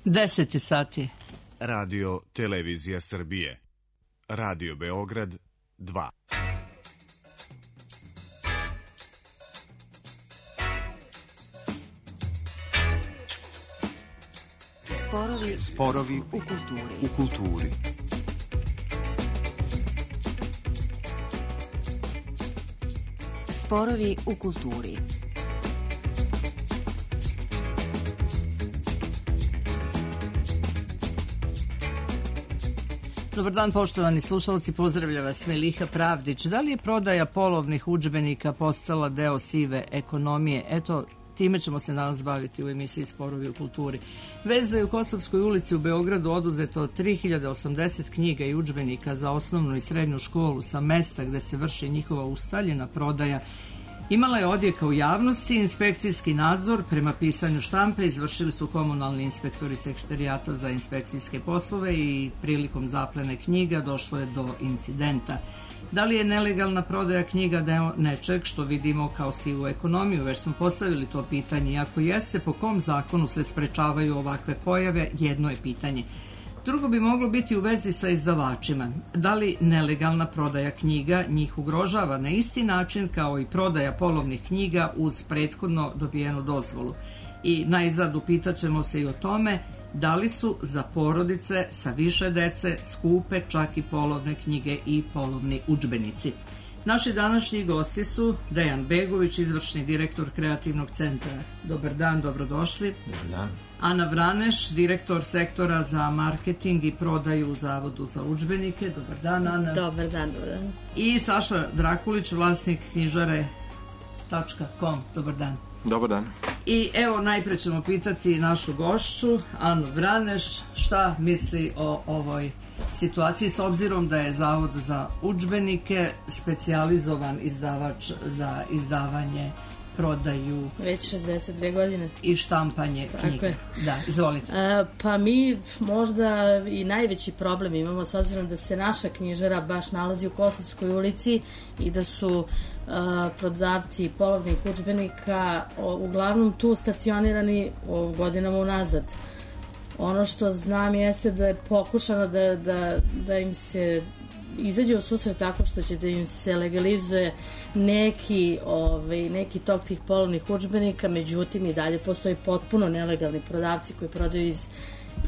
10 sati. Radio Televizija Srbije. Radio Beograd 2. Sporovi u kulturi. Sporovi u kulturi. Dobar dan, poštovani slušalci, pozdravlja vas Meliha Pravdić. Da li je prodaja polovnih udžbenika postala deo sive ekonomije? Eto, time ćemo se danas baviti u emisiji Sporovi u kulturi. Vez da je u Kosovskoj ulici u Beogradu oduzeto 3080 knjiga i udžbenika za osnovnu i srednju školu sa mesta gde se vrši njihova ustaljena prodaja imala je odjeka u javnosti. Inspekcijski nadzor prema pisanju štampe izvršili su komunalni inspektori Sekretarijata za inspekcijske poslove i prilikom zaplene knjiga došlo je do incidenta. Da li je nelegalna prodaja knjiga deo nečeg što vidimo kao sivu ekonomiju? Već smo postavili to pitanje i ako jeste, po kom zakonu se sprečavaju ovakve pojave, jedno je pitanje. Drugo bi moglo biti u vezi sa izdavačima. Da li nelegalna prodaja knjiga njih ugrožava na isti način kao i prodaja polovnih knjiga uz prethodno dobijenu dozvolu? I najzad upitaćemo se i o tome da li su za porodice sa više dece skupe čak i polovne knjige i polovni udžbenici. Naši današnji gosti su Dejan Begović, izvršni direktor Kreativnog centra. Dobar dan, dobrodošli. Dobar dan. Ana Vraneš, direktor sektora za marketing i prodaju u Zavodu za udžbenike. Dobar dan, Ana. Dobar dan, dobar dan. I Saša Drakulić, vlasnik knjižare.com. Dobar dan. Dobar dan. I evo, najpre ćemo pitati našu gošću, Anu Vraneš, šta misli o ovoj situaciji, s obzirom da je Zavod za udžbenike specijalizovan izdavač za izdavanje, prodaju već 62 godine i štampanje knjige. Da, izvolite. Pa mi možda i najveći problem imamo, s obzirom da se naša knjižara baš nalazi u Kosovskoj ulici i da su prodavci polovnih udžbenika uglavnom tu stacionirani godinama unazad. Ono što znam jeste da je pokušano da im se izađe u susret tako što će da im se legalizuje neki tok tih polovnih udžbenika, međutim i dalje postoji potpuno nelegalni prodavci koji prodaju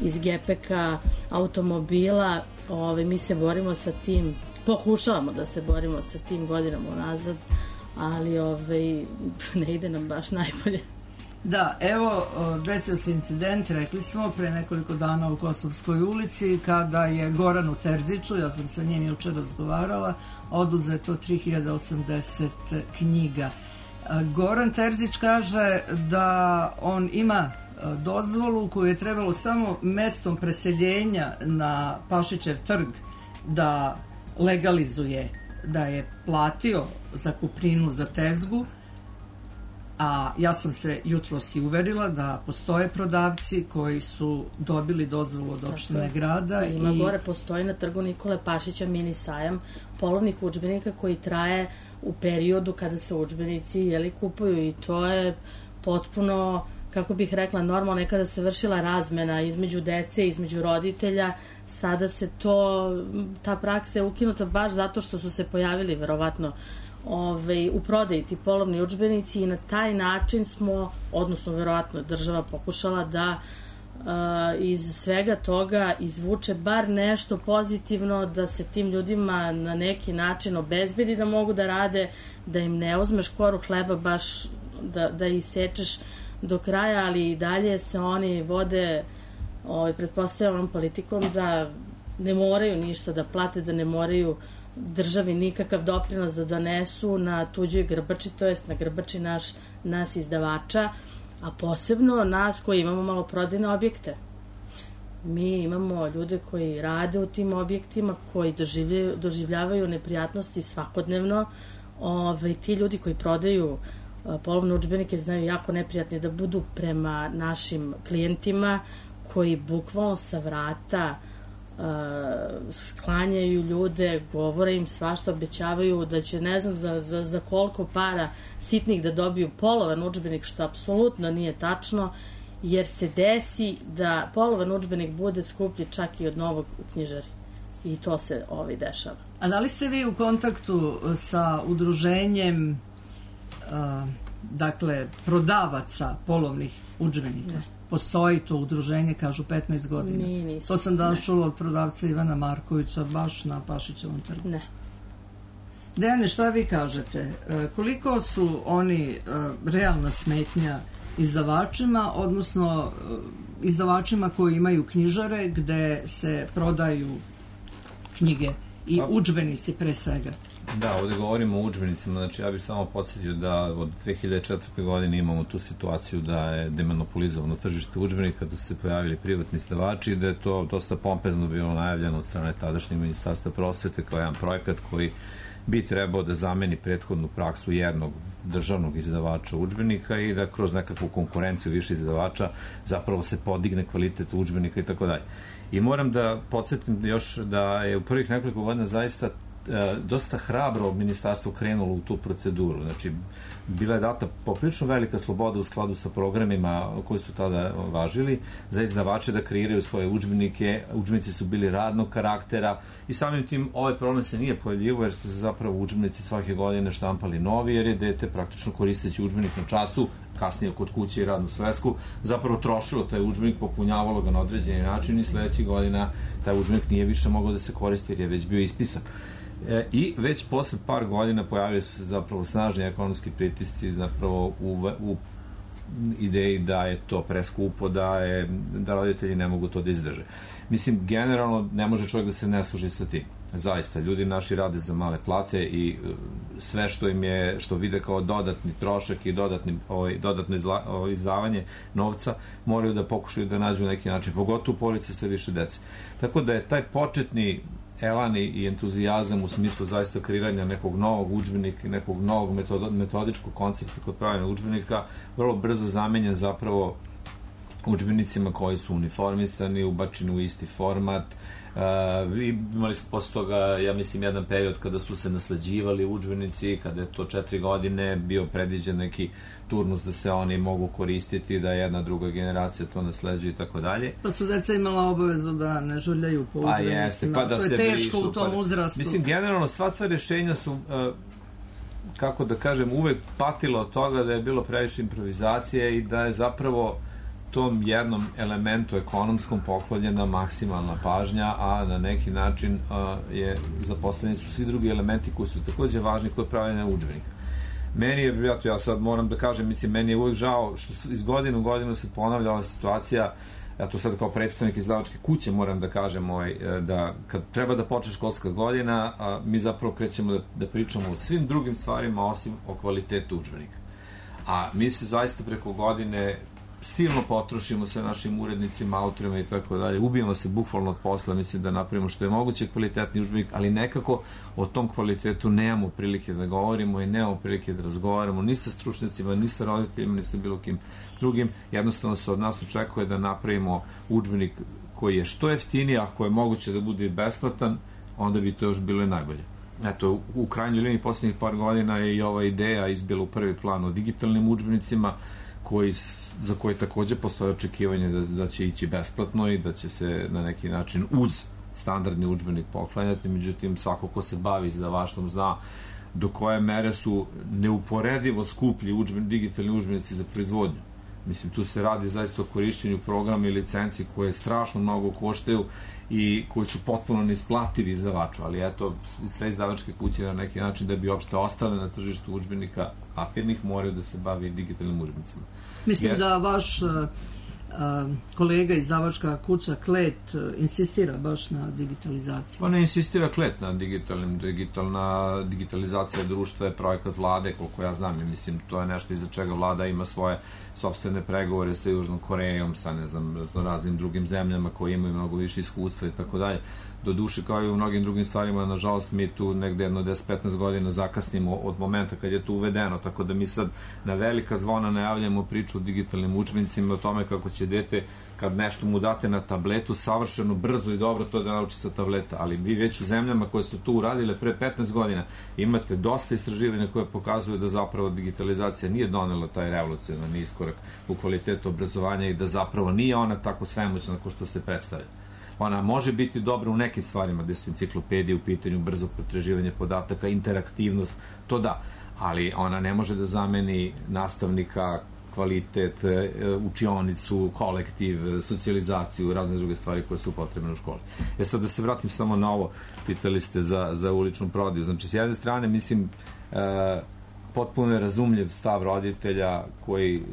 iz gepeka, automobila. Mi se borimo sa tim, pokušavamo da se borimo sa tim godinama unazad, ali ne ide nam baš najbolje. Da, evo, desio se incident, rekli smo, pre nekoliko dana u Kosovskoj ulici, kada je Goranu Terziću, ja sam sa njim juče razgovarala, oduzeto 3080 knjiga. Goran Terzić kaže da on ima dozvolu koju je trebalo samo mestom preseljenja na Pašićev trg da legalizuje, da je platio zakupninu za tezgu, a ja sam se jutros i uverila da postoje prodavci koji su dobili dozvolu od opštine grada. Ima gore, postoji na trgu Nikole Pašića mini sajam polovnih udžbenika koji traje u periodu kada se udžbenici kupuju i to je potpuno, kako bih rekla, normalno. Nekada se vršila razmena između dece, između roditelja. Sada se ta praksa je ukinuta baš zato što su se pojavili verovatno u prodaji ti polovni udžbenici i na taj način smo, odnosno verovatno država pokušala da iz svega toga izvuče bar nešto pozitivno, da se tim ljudima na neki način obezbedi da mogu da rade, da im ne uzmeš koru hleba baš da isečeš do kraja, ali i dalje se oni vode pretpostavljanom politikom da ne moraju ništa da plate, da ne moraju državi nikakav doprinos da donesu na tuđoj grbači, to jest na grbači nas izdavača, a posebno nas koji imamo maloprodajne objekte. Mi imamo ljude koji rade u tim objektima, koji doživljavaju neprijatnosti svakodnevno. Ti ljudi koji prodaju polovne udžbenike znaju jako neprijatni da budu prema našim klijentima, koji bukvalno sa vrata sklanjaju ljude, govore im svašta, obećavaju da će ne znam za koliko para sitnih da dobiju polovan udžbenik, što apsolutno nije tačno jer se desi da polovan udžbenik bude skuplji čak i od novog u knjižari. I to se dešava. A da li ste vi u kontaktu sa udruženjem prodavaca polovnih udžbenika? Ne. Postoji to udruženje, kažu 15 godina. To sam danas čula od prodavca Ivana Markovića, baš na Pašićevom trgu. Ne. Dejane, šta vi kažete? Koliko su oni realna smetnja izdavačima, odnosno izdavačima koji imaju knjižare gde se prodaju knjige i udžbenici pre svega? Da, ovdje govorimo o udžbenicima, znači ja bih samo podsjetio da od 2004. godine imamo tu situaciju da je demonopolizovano tržište udžbenika, da su se pojavili privatni izdavači i da je to dosta pompezno bilo najavljeno od strane tadašnjeg ministarstva prosvete kao jedan projekat koji bi trebao da zameni prethodnu praksu jednog državnog izdavača udžbenika i da kroz nekakvu konkurenciju više izdavača zapravo se podigne kvalitet udžbenika i tako dalje. I moram da podsjetim još da je u prvih nekoliko godina zaista dosta hrabro ministarstvo krenulo u tu proceduru. Znači, bila je data poprilično velika sloboda u skladu sa programima koji su tada važili za izdavače da kreiraju svoje udžbenike. Udžbenici su bili radnog karaktera i samim tim ovaj problem se nije pojavljivo jer su se zapravo udžbenici svake godine štampali novi jer je dete praktično koristeći udžbenik na času, kasnije kod kuće i radnu svesku, zapravo trošilo taj udžbenik, popunjavalo ga na određeni način i sledećih godina taj udžbenik nije više mogao da se koristi jer je već bio ispisan. I već posle par godina pojavili su se zapravo snažni ekonomski pritisci zapravo u ideji da je to preskupo, da roditelji ne mogu to da izdrže. Mislim, generalno ne može čovjek da se ne služi sa tim. Zaista, ljudi naši rade za male plate i sve što vide kao dodatni trošak i dodatno izdavanje novca moraju da pokušaju da nađu neki način, pogotovo porodice sve više dece. Tako da je taj početni elan i entuzijazam u smislu zaista kreiranja nekog novog udžbenika i nekog novog metodičkog koncepta kod pravljanja udžbenika vrlo brzo zamenjen zapravo udžbenicima koji su uniformisani, ubačeni u isti format. Imali smo posle toga, ja mislim, jedan period kada su se nasleđivali udžbenici, kada je to 4 godine bio predviđen neki turnus da se oni mogu koristiti, da jedna druga generacija to nasleđuje i tako dalje. Pa su deca imala obavezu da ne žuljaju po udžbenicima. To je teško u tom uzrastu. Mislim, generalno sva ta rješenja su, kako da kažem, uvek patilo od toga da je bilo previše improvizacije i da je zapravo tom jednom elementu ekonomskom poklonjena maksimalna pažnja, a na neki način zaposleni su svi drugi elementi koji su takođe važni kod pravljanja udžbenika. Meni je, ja sad moram da kažem, mislim, meni je uvijek žao što iz godine u godinu se ponavlja ova situacija, ja to sad kao predstavnik izdavačke kuće moram da kažem da kad treba da počne školska godina, mi zapravo krećemo da pričamo o svim drugim stvarima osim o kvalitetu udžbenika. A mi se zaista preko godine silno potrošimo sve našim urednicima, autorima i tako dalje, ubijemo se bukvalno od posla, mislim da napravimo što je moguće kvalitetni udžbenik, ali nekako o tom kvalitetu nemamo prilike da govorimo i nemamo prilike da razgovaramo ni sa stručnjacima, ni sa roditeljima, ni sa bilo kim drugim. Jednostavno se od nas očekuje da napravimo udžbenik koji je što jeftiniji, ako je moguće da bude besplatan, onda bi to još bilo i najbolje. Eto, u krajnjoj liniji posljednjih par godina je i ova ideja izbila u prvi plan o digitalnim udžbenicima, za koje takođe postoje očekivanje da će ići besplatno i da će se na neki način uz standardni udžbenik poklanjati, međutim svako ko se bavi izdavaštvom zna do koje mere su neuporedivo skuplji digitalni udžbenici za proizvodnju. Mislim, tu se radi zaista o korišćenju programa i licenci koje strašno mnogo koštaju i koji su potpuno neisplativi izdavaču, ali eto, sve izdavačke kuće na neki način da bi uopšte ostale na tržištu udžbenika papirnih moraju da se bavi digitalnim udžbenicima. Mislim da vaš kolega izdavačka kuća Klet insistira baš na digitalizaciji. Pa ne insistira Klet na digitalizacija društva je projekat vlade, koliko ja znam, i mislim to je nešto iza čega vlada ima svoje sopstvene pregovore sa Južnom Korejom, sa raznim drugim zemljama koji imaju mnogo više iskustva i tako dalje. Do duše, kao i u mnogim drugim stvarima, nažalost, mi tu negde jedno 10-15 godina zakasnimo od momenta kad je to uvedeno, tako da mi sad na velika zvona najavljamo priču o digitalnim udžbenicima, o tome kako će dete kad nešto mu date na tabletu, savršeno, brzo i dobro to da nauči sa tableta, ali vi već u zemljama koje su to uradile pre 15 godina imate dosta istraživanja koje pokazuju da zapravo digitalizacija nije donela taj revolucionarni iskorak u kvalitetu obrazovanja i da zapravo nije ona tako svemoćna kao što se predstavlja. Ona može biti dobra u nekim stvarima, gde su enciklopedije u pitanju, brzo pretraživanje podataka, interaktivnost, to da, ali ona ne može da zameni nastavnika, kvalitet, učionicu, kolektiv, socijalizaciju, razne druge stvari koje su potrebne u školi. Sad da se vratim samo na ovo, pitali ste za uličnu prodaju. Znači, s jedne strane, mislim, potpuno je razumljiv stav roditelja koji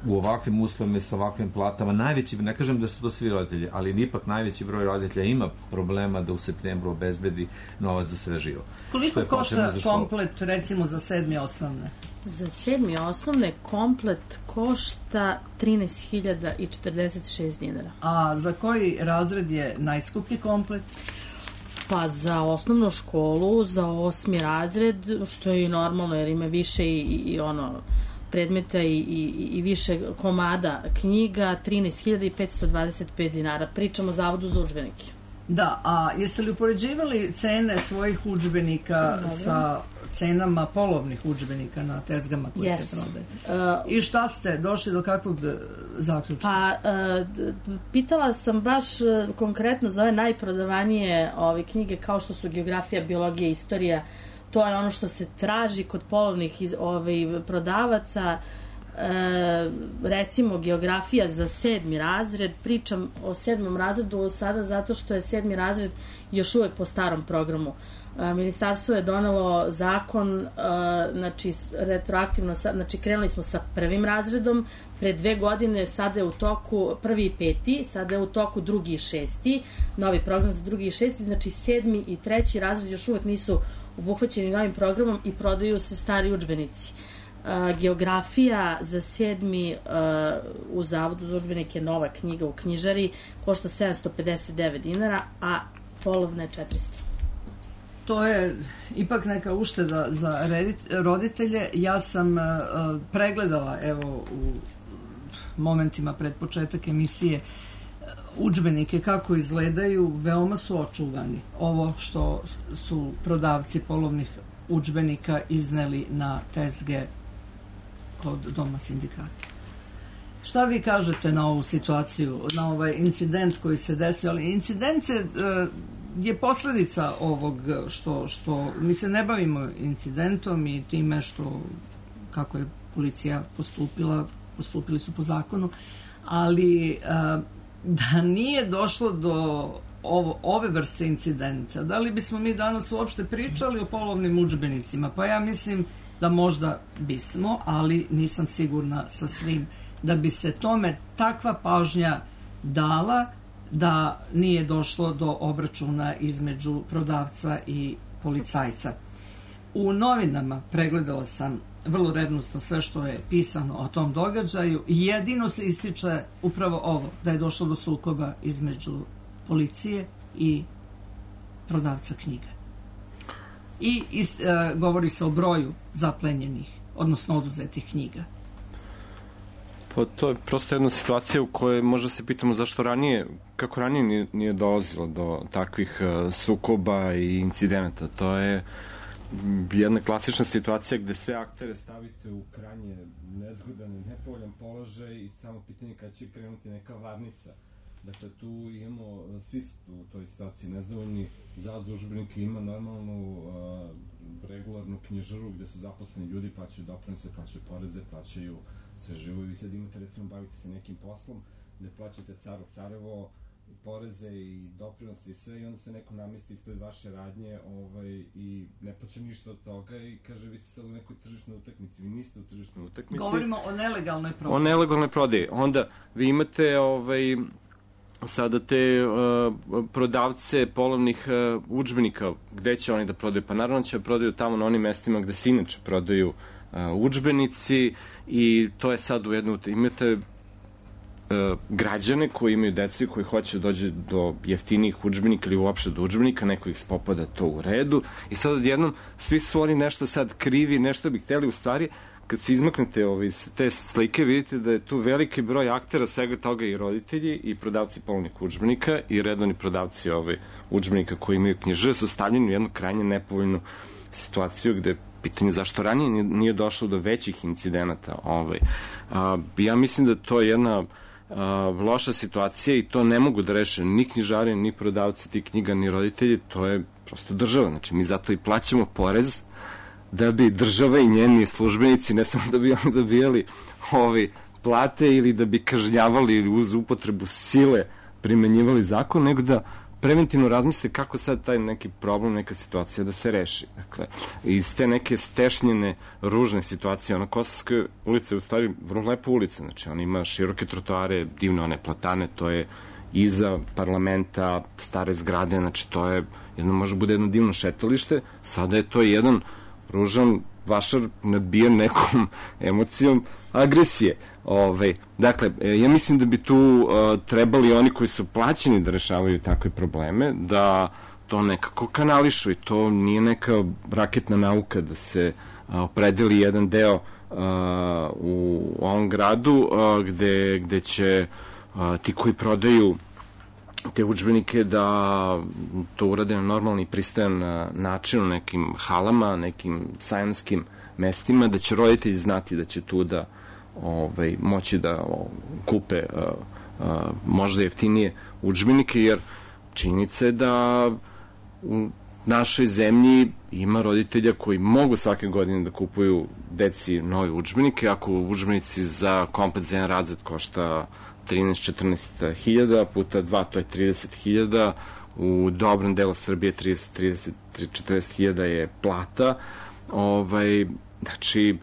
u ovakvim uslovima i sa ovakvim platama, najveći, ne kažem da su to svi roditelji, ali ipak najveći broj roditelja ima problema da u septembru obezbedi novac za sve živo. Koliko košta komplet, recimo, za 7. osnovne? Za 7. osnovne komplet košta 13.046 dinara. A za koji razred je najskuplji komplet? Pa za osnovnu školu, za 8. razred, što je i normalno jer ima više i predmeta i više komada knjiga, 13.525 dinara. Pričamo o Zavodu za udžbenike. Da, a jeste li upoređivali cene svojih udžbenika sa cenama polovnih udžbenika na tezgama koje se prodaju? I šta ste došli do kakvog zaključka? Pa, pitala sam baš konkretno za ove najprodavanije knjige kao što su geografija, biologija, istorija. To je ono što se traži kod polovnih prodavaca. Recimo geografija za 7. razred, pričam o 7. razredu sada zato što je 7. razred još uvek po starom programu. Ministarstvo je donelo zakon, znači retroaktivno, znači krenuli smo sa 1. razredom, pre 2 godine, sada je u toku 1. i 5. sada je u toku 2. i 6. novi program za 2. i 6. znači 7. i 3. razred još uvek nisu obuhvaćeni novim programom i prodaju se stari udžbenici. Geografija za 7. U Zavodu za udžbenike, nova knjiga u knjižari, košta 759 dinara, a polovna je 400. To je ipak neka ušteda za roditelje. Ja sam pregledala, evo, u momentima pred početak emisije, udžbenike kako izgledaju, veoma su očuvani. Ovo što su prodavci polovnih udžbenika izneli na tezge kod Doma sindikata. Šta vi kažete na ovu situaciju, na ovaj incident koji se desio? Ali incident je posledica ovog što mi se ne bavimo incidentom i time kako je policija postupili su po zakonu, ali da nije došlo do ove vrste incidenta, da li bismo mi danas uopšte pričali o polovnim udžbenicima? Pa ja mislim da možda bismo, ali nisam sigurna sa svim da bi se tome takva pažnja dala da nije došlo do obračuna između prodavca i policajca. U novinama pregledala sam vrlo revnosno sve što je pisano o tom događaju i jedino se ističe upravo ovo, da je došlo do sukoba između policije i prodavca knjiga. I govori se o broju zaplenjenih, odnosno oduzetih knjiga. Pa to je prosto jedna situacija u kojoj možda se pitamo kako ranije nije dolazilo do takvih sukoba i incidenata. To je jedna klasična situacija gde sve aktere stavite u krajnje nezgodan i nepovoljan položaj i samo pitanje kada će krenuti neka varnica. Dakle, tu imamo, svi su u toj situaciji nezadovoljni. Zavod za udžbenike ima normalnu regularnu knjižaru gde su zaposleni ljudi, plaćaju doprinose, plaćaju poreze, plaćaju sve živo. I vi sad imate, recimo, bavite se nekim poslom gde plaćate carevo, poreze i doprinose i sve, i onda se neko namesti ispred vaše radnje i ne plaća ništa od toga i kaže vi ste sad u nekoj tržišnoj utakmici. Vi niste u tržišnoj utakmici. Govorimo o nelegalnoj prodaji. O nelegalnoj prodaji. Onda vi imate sada te prodavce polovnih udžbenika. Gde će oni da prodaju? Pa naravno će da prodaju tamo na onim mestima gde se inače prodaju udžbenici i to je sad u jednu... Imate građane koji imaju decu i koji hoće da dođe do jeftinijih udžbenika ili uopšte do udžbenika, neko ih spopada to u redu i sad odjednom svi su oni nešto sad krivi, nešto bi hteli u stvari kad se izmaknete iz te slike, vidite da je tu veliki broj aktera, svega toga i roditelji i prodavci polovnih udžbenika i redovni prodavci udžbenika koji imaju knjiže su stavljeni u jednu krajnje nepovoljnu situaciju gde pitanje zašto ranije nije došlo do većih incidenata. Ja mislim da to je jedna loša situacija i to ne mogu da reše ni knjižari, ni prodavci tih knjiga, ni roditelji, to je prosto država. Znači, mi zato i plaćamo porez da bi država i njeni službenici ne samo da bi oni dobijali plate ili da bi kažnjavali ili uz upotrebu sile primenjivali zakon, nego da preventivno razmisle kako sad taj neki problem, neka situacija da se reši. Dakle, iz te neke stešnjene, ružne situacije, Kosovska ulica je u stvari vrlo lepa ulica, znači ona ima široke trotoare, divne one platane, to je iza parlamenta, stare zgrade, znači to je može bude jedno divno šetalište, sada je to jedan ružan vašar nadbijen nekom emocijom agresije. Dakle, ja mislim da bi tu trebali oni koji su plaćeni da rešavaju takve probleme, da to nekako kanališu i to nije neka raketna nauka da se opredeli jedan deo u ovom gradu gde će ti koji prodaju te udžbenike da to urade na normalni i pristojan način u nekim halama, nekim sajamskim mestima, da će roditelji znati da će tu da moći da kupe možda jeftinije udžbenike, jer činjenica je da u našoj zemlji ima roditelja koji mogu svake godine da kupuju deci nove udžbenike. Ako udžbenici za komplet za jedan razred košta 13-14 hiljada puta 2, to je 30 hiljada, u dobrom delu Srbije 30-40 hiljada je plata. Znači,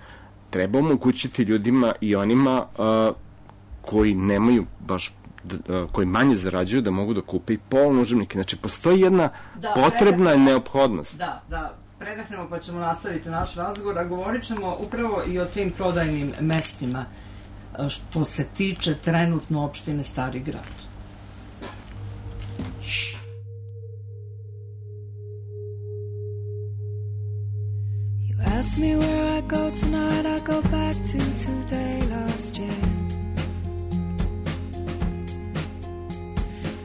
treba omogućiti ljudima i onima koji nemaju baš, koji manje zarađuju, da mogu da kupe i polovne udžbenike. Znači, postoji jedna potrebna neophodnost. Da, predahnemo pa ćemo nastaviti naš razgovor, a govorit ćemo upravo i o tim prodajnim mestima što se tiče trenutno opštine Stari Grad. You ask me where I go tonight, I go back to today last year,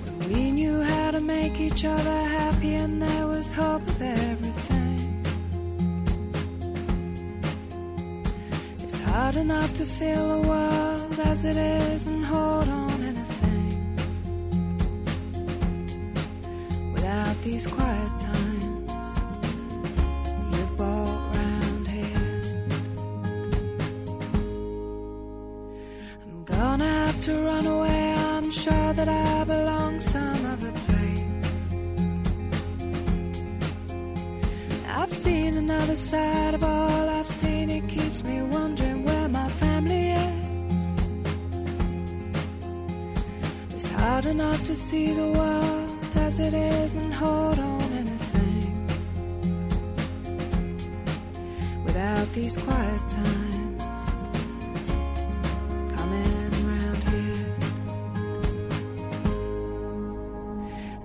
when we knew how to make each other happy and there was hope of everything. It's hard enough to feel the world as it is and hold on anything without these quiet times you've brought round here. I'm gonna have to run away, I'm sure that I belong some other place. I've seen another side of all I've seen, it keeps me wondering where my family is. It's hard enough to see the world as it is and hold on anything without these quiet times coming round here.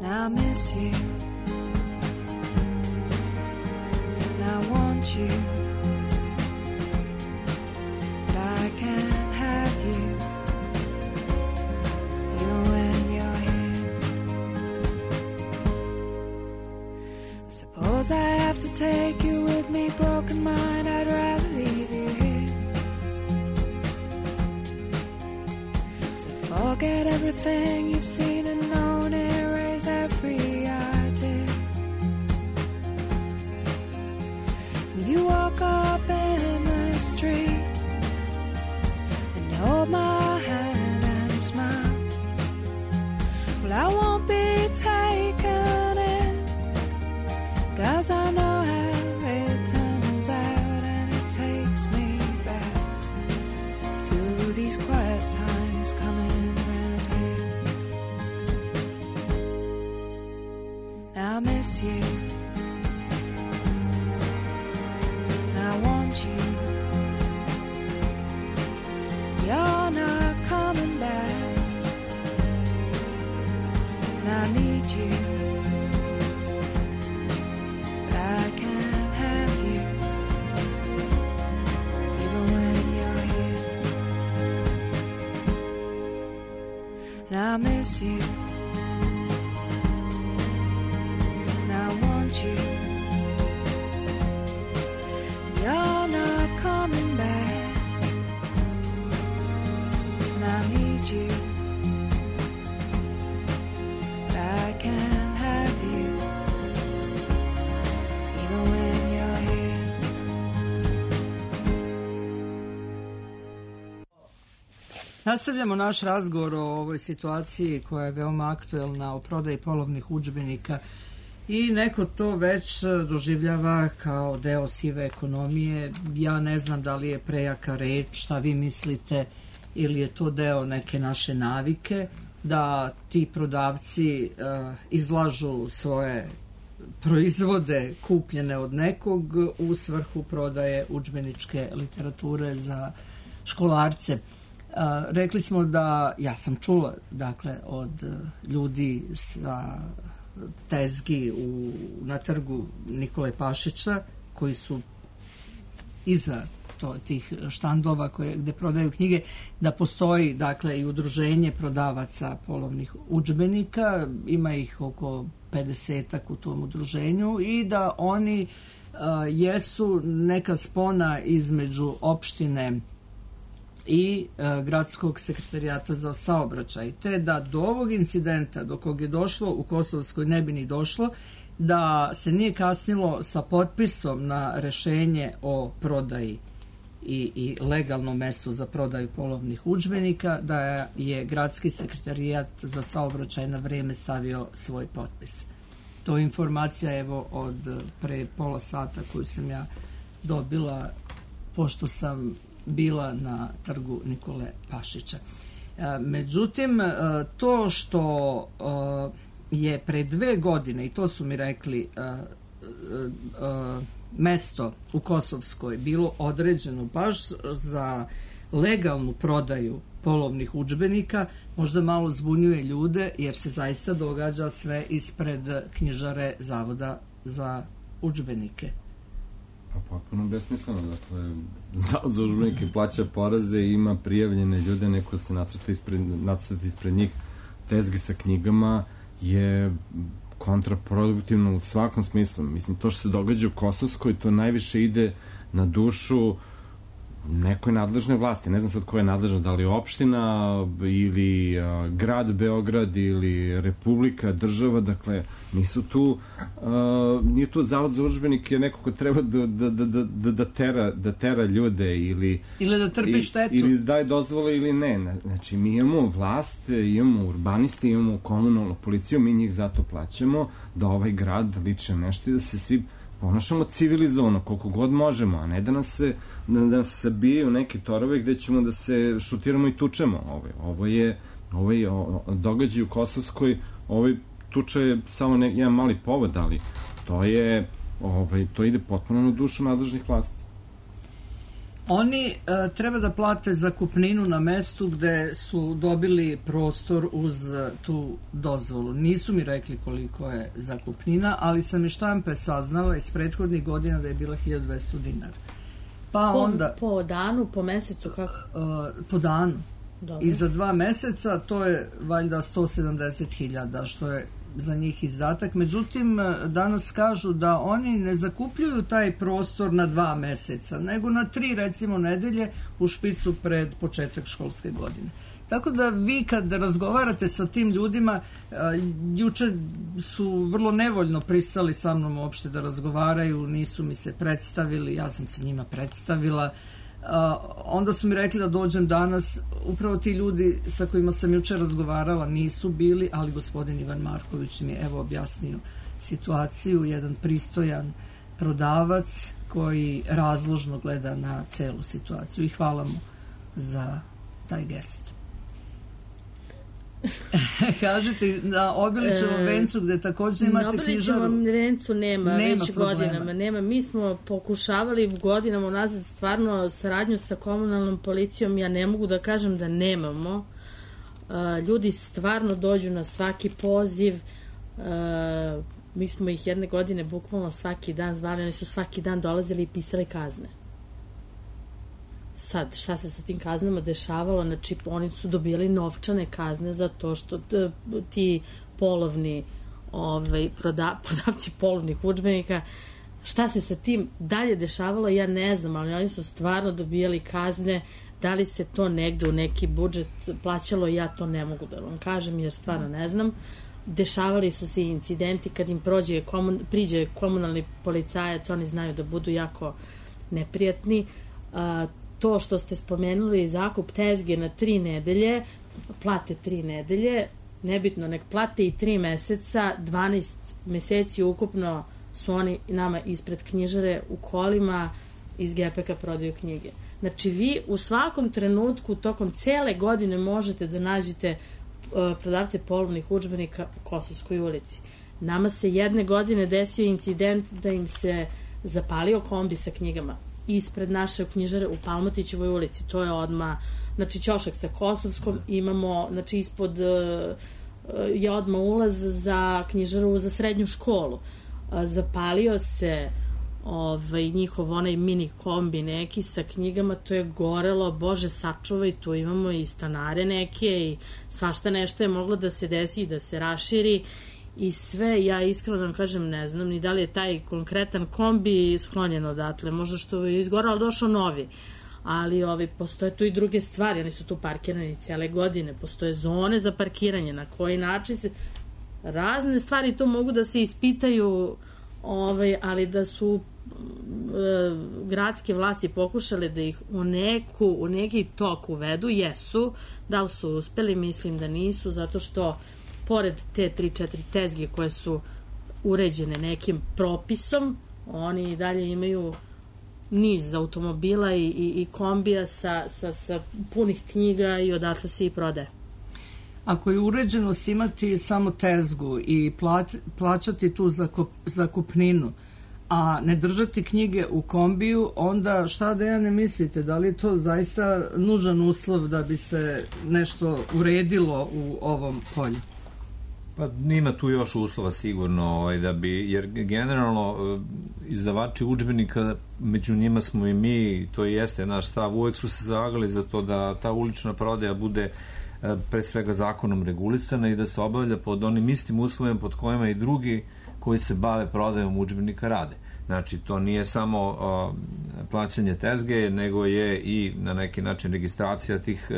And I miss you, and I want you, but I can't have you even when you're here. I suppose I have to take you with me, broken mind, I'd rather leave you here to forget everything you've seen and known, erase every idea. If you walk up in the street and you hold my hand and smile, well, I won't be taken in, 'cause I know how it turns out, and it takes me back to these quiet times coming round here. I miss you, I want you, you're not coming back, and I need you, but I can't have you even when miss you. And I want you. You're not coming back. And I need you. I can't have you. Even when you're here. Nastavljamo naš razgovor o ovoj situaciji koja je veoma aktuelna, o prodaji polovnih udžbenika, i neko to već doživljava kao deo sive ekonomije. Ja ne znam da li je prejaka reč, šta vi mislite, ili je to deo neke naše navike da ti prodavci izlažu svoje proizvode kupljene od nekog u svrhu prodaje udžbeničke literature za školarce. Rekli smo da, ja sam čula, dakle, od ljudi sa tezgi na trgu Nikole Pašića, koji su iza tih štandova gde prodaju knjige, da postoji, dakle, i udruženje prodavaca polovnih udžbenika, ima ih oko 50-ak u tom udruženju, i da oni jesu neka spona između opštine i gradskog sekretarijata za saobraćaj, te da do ovog incidenta, do kog je došlo u Kosovskoj, ne bi ni došlo, da se nije kasnilo sa potpisom na rešenje o prodaji i legalnom mestu za prodaju polovnih udžbenika, da je gradski sekretarijat za saobraćaj na vreme stavio svoj potpis. To je informacija, evo, od pre pola sata koju sam ja dobila, pošto sam bila na trgu Nikole Pašića. Međutim, to što je pre 2 godine, i to su mi rekli, mesto u Kosovskoj bilo određeno baš za legalnu prodaju polovnih udžbenika, možda malo zbunjuje ljude, jer se zaista događa sve ispred knjižare Zavoda za udžbenike. Pa potpuno besmisleno, dakle, Zavod za udžbenike plaća poreze i ima prijavljene ljude, neko se nacrta ispred njih tezge sa knjigama, je kontraproduktivno u svakom smislu. Mislim, to što se događa u Kosovskoj, to najviše ide na dušu nekoj nadležnoj vlasti. Ne znam sad ko je nadležna, da li opština ili grad Beograd ili republika, država, dakle, nisu tu, nije tu Zavod za udžbenike neko ko treba da tera ljude ili da trpi štetu. Ili daje dozvole ili ne. Znači, mi imamo vlast, imamo urbaniste, imamo komunalnu policiju, mi njih zato plaćamo da ovaj grad liče nešto i da se svi ponašamo civilizovano, koliko god možemo, a ne da nas sabijaju neke torove gde ćemo da se šutiramo i tučemo. Ovo je događaj u Kosovskoj, tuča je samo jedan mali povod, ali to ide potpuno na dušu nadležnih vlasti. Oni treba da plate zakupninu na mestu gde su dobili prostor uz tu dozvolu. Nisu mi rekli koliko je zakupnina, ali sam iz štampe saznala iz prethodnih godina da je bila 1200 dinara. Pa onda, po danu, po mesecu, kako? Po danu. Dobro. I za 2 meseca to je valjda 170.000, što je za njih izdatak. Međutim, danas kažu da oni ne zakupljuju taj prostor na 2 meseca, nego na 3, recimo, nedelje u špicu pred početak školske godine. Tako da vi kad razgovarate sa tim ljudima, juče su vrlo nevoljno pristali sa mnom uopšte da razgovaraju, nisu mi se predstavili, ja sam se njima predstavila. Onda su mi rekli da dođem danas. Upravo ti ljudi sa kojima sam juče razgovarala nisu bili, ali gospodin Ivan Marković mi je evo objasnio situaciju, jedan pristojan prodavac koji razložno gleda na celu situaciju, i hvala mu za taj gest. Kažete, na Obilićevom vencu gde takođe imate knjižaru. Na Obilićevom vencu nema već problema. Godinama. Nema. Mi smo pokušavali godinama unazad stvarno saradnju sa komunalnom policijom. Ja ne mogu da kažem da nemamo. Ljudi stvarno dođu na svaki poziv. Mi smo ih jedne godine bukvalno svaki dan zvali. Oni su svaki dan dolazili i pisali kazne. Sad, šta se sa tim kaznama dešavalo? Znači, oni su dobijali novčane kazne za to što ti polovni prodavci polovnih udžbenika, šta se sa tim dalje dešavalo, ja ne znam, ali oni su stvarno dobijali kazne. Da li se to negde u neki budžet plaćalo, ja to ne mogu da vam kažem, jer stvarno ne znam. Dešavali su se incidenti kad im priđe komunalni policajac, oni znaju da budu jako neprijatni. To što ste spomenuli, zakup tezge na 3 nedelje, plate 3 nedelje, nebitno, nek plate i 3 meseca, 12 meseci ukupno su oni nama ispred knjižare u kolima iz GPK prodaju knjige. Znači, vi u svakom trenutku tokom cele godine možete da nađete prodavce polovnih udžbenika u Kosovskoj ulici. Nama se jedne godine desio incident da im se zapalio kombi sa knjigama ispred naše knjižare u Palmotićevoj ulici. To je odmah, znači, ćošak sa Kosovskom, imamo, znači, ispod je odmah ulaz za knjižaru za srednju školu. Zapalio se njihov onaj mini kombi neki sa knjigama, to je gorelo, Bože sačuvaj, tu imamo i stanare neke i svašta nešto je moglo da se desi i da se raširi i sve. Ja iskreno da vam kažem, ne znam ni da li je taj konkretan kombi sklonjen odatle, možda što je izgoralo, ali došao novi, ali postoje tu i druge stvari, oni su tu parkirani cele godine, postoje zone za parkiranje, na koji način se razne stvari to mogu da se ispitaju, ali da su gradske vlasti pokušale da ih u neki tok uvedu, jesu. Da li su uspeli? Mislim da nisu, zato što pored te 3-4 tezge koje su uređene nekim propisom, oni i dalje imaju niz automobila i kombija sa punih knjiga i odatle se i prodaje. Ako je uređenost imati samo tezgu i plaćati tu zakupninu, a ne držati knjige u kombiju, onda šta da ja ne mislite? Da li je to zaista nužan uslov da bi se nešto uredilo u ovom polju? Pa ima tu još uslova sigurno, jer generalno izdavači udžbenika, među njima smo i mi, to jeste naš stav, uvek su se zalagali za to da ta ulična prodaja bude pre svega zakonom regulisana i da se obavlja pod onim istim uslovima pod kojima i drugi koji se bave prodajom udžbenika rade. Znači, to nije samo plaćanje tezge, nego je i na neki način registracija tih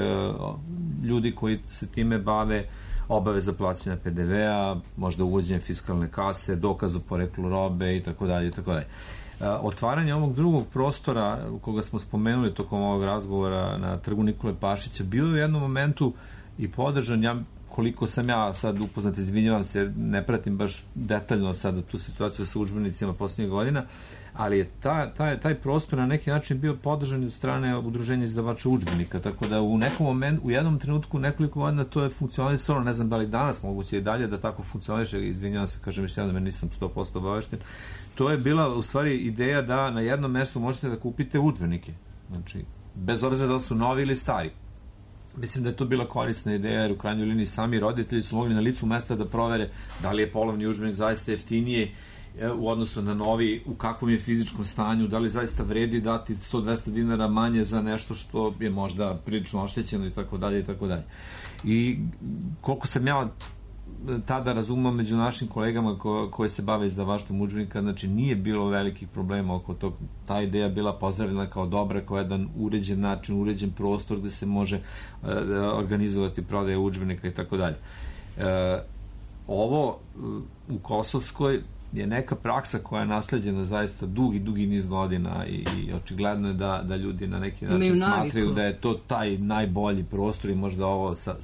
ljudi koji se time bave, obaveza plaćanja PDV-a, možda uvođenje fiskalne kase, dokaz o poreklu robe i tako dalje i tako dalje. Otvaranje ovog drugog prostora koga smo spomenuli tokom ovog razgovora na Trgu Nikole Pašića bio je u jednom momentu i podržan. Koliko sam ja sad upoznat, izvinjavam se jer ne pratim baš detaljno sad tu situaciju sa udžbenicima poslednjih godina, ali je taj prostor na neki način bio podržan od strane udruženja izdavača udžbenika, tako da u nekom momentu, u jednom trenutku nekoliko godina to je funkcionisalo, ne znam da li danas moguće i dalje da tako funkcioniše, izvinjavam se, kažem još jednom, nisam 100% obavešten. To je bila u stvari ideja da na jednom mestu možete da kupite udžbenike, znači bez obzira da su novi ili stari. Mislim da je to bila korisna ideja, jer u krajnjoj liniji sami roditelji su mogli na licu mesta da provere da li je polovni udžbenik zaista jeftinije u odnosu na novi, u kakvom je fizičkom stanju, da li zaista vredi dati 100-200 dinara manje za nešto što je možda prilično oštećeno i tako dalje i tako dalje. I koliko sam ja tada razumao među našim kolegama koji se bave izdavaštvom udžbenika, znači nije bilo velikih problema oko tog. Ta ideja bila pozdravljena kao dobra, kao jedan uređen način, uređen prostor gde se može organizovati prodaje udžbenika i tako dalje. Ovo u Kosovskoj je neka praksa koja je nasleđena zaista dugi niz godina i očigledno je da ljudi na neki način smatraju da je to taj najbolji prostor i možda ovo sa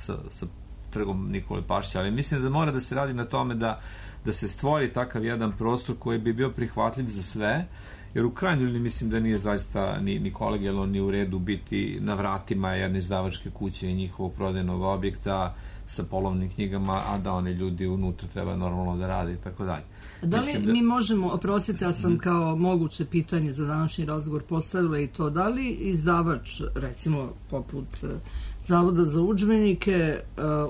Trgom Nikole Pašića, ali mislim da mora da se radi na tome da se stvori takav jedan prostor koji bi bio prihvatljiv za sve, jer u krajnjoj liniji mislim da nije zaista ni kolegijalno ni u redu biti na vratima jedne izdavačke kuće i njihovog prodajnog objekta sa polovnim knjigama, a da oni ljudi unutra treba normalno da rade i tako dalje. Da li mi možemo, oprostite, ja sam kao moguće pitanje za današnji razgovor postavila i to, da li izdavač, recimo poput Zavoda za udžbenike,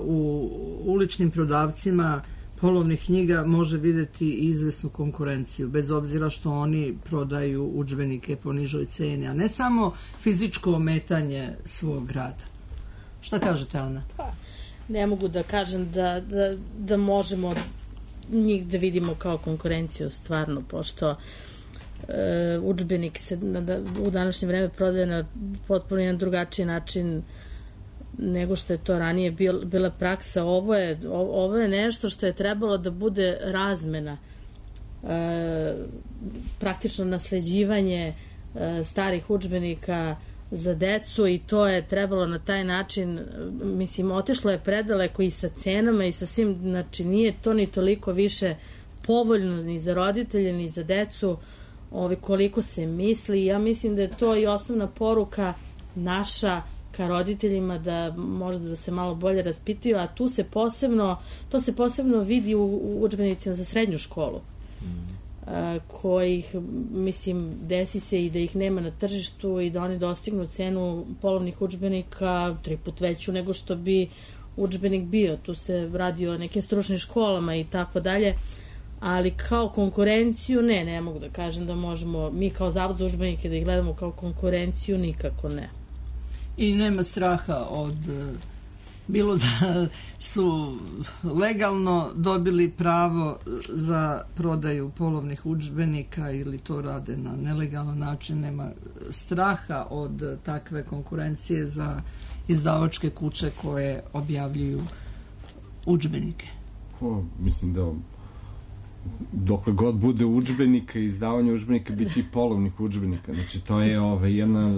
u uličnim prodavcima polovnih knjiga može videti izvesnu konkurenciju, bez obzira što oni prodaju udžbenike po nižoj ceni, a ne samo fizičko ometanje svog rada. Šta kažete, Ana? Ne mogu da kažem da možemo njih da vidimo kao konkurenciju stvarno, pošto udžbenik se u današnje vreme prodaje na potpuno jedan drugačiji način nego što je to ranije bila praksa. Ovo je nešto što je trebalo da bude razmena, praktično nasleđivanje starih udžbenika za decu, i to je trebalo na taj način, mislim, otišlo je predaleko i sa cenama i sa svim, znači nije to ni toliko više povoljno ni za roditelje ni za decu koliko se misli. Ja mislim da je to i osnovna poruka naša ka roditeljima, da možda da se malo bolje raspituju, a to se posebno vidi u udžbenicima za srednju školu, kojih, mislim, desi se i da ih nema na tržištu i da oni dostignu cenu polovnih udžbenika 3 puta veću nego što bi udžbenik bio. Tu se radi o nekim stručnim školama i tako dalje, ali kao konkurenciju ne mogu da kažem da možemo mi kao Zavod za udžbenike da ih gledamo kao konkurenciju, nikako ne. I nema straha od bilo da su legalno dobili pravo za prodaju polovnih udžbenika ili to rade na nelegalan način, nema straha od takve konkurencije za izdavačke kuće koje objavljuju udžbenike. Mislim da dokle god bude udžbenika i izdavanje udžbenika, bit će i polovnih udžbenika. Znači, to je jedna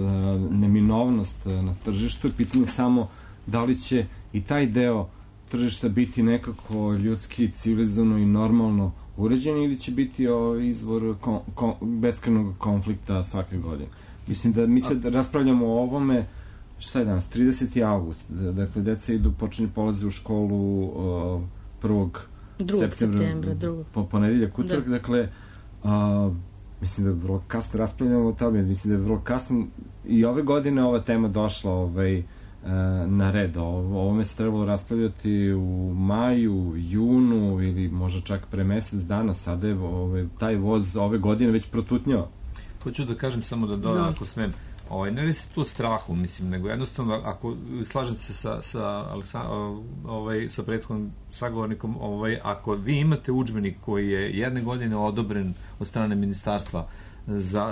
neminovnost na tržištu. Pitanje samo da li će i taj deo tržišta biti nekako ljudski, civilizovano i normalno uređen, ili će biti izvor beskrajnog konflikta svake godine. Mislim da mi se raspravljamo o ovome, šta je danas, 30. avgust, dakle, deca počinju polaze u školu 1. septembra, ponedeljak, utorak, dakle, mislim da je vrlo kasno raspravljamo o tome, mislim da je vrlo kasno i ove godine ova tema došla na red. Ovome se trebalo raspravljati u maju, junu ili možda čak pre mesec dana. Sada je taj voz ove godine već protutnjao. Hoću da kažem samo da dodam, ako smem, ne li se tu strahu, mislim, nego jednostavno, ako slažem se sa prethodnim sagovornikom, ako vi imate udžbenik koji je jedne godine odobren od strane ministarstva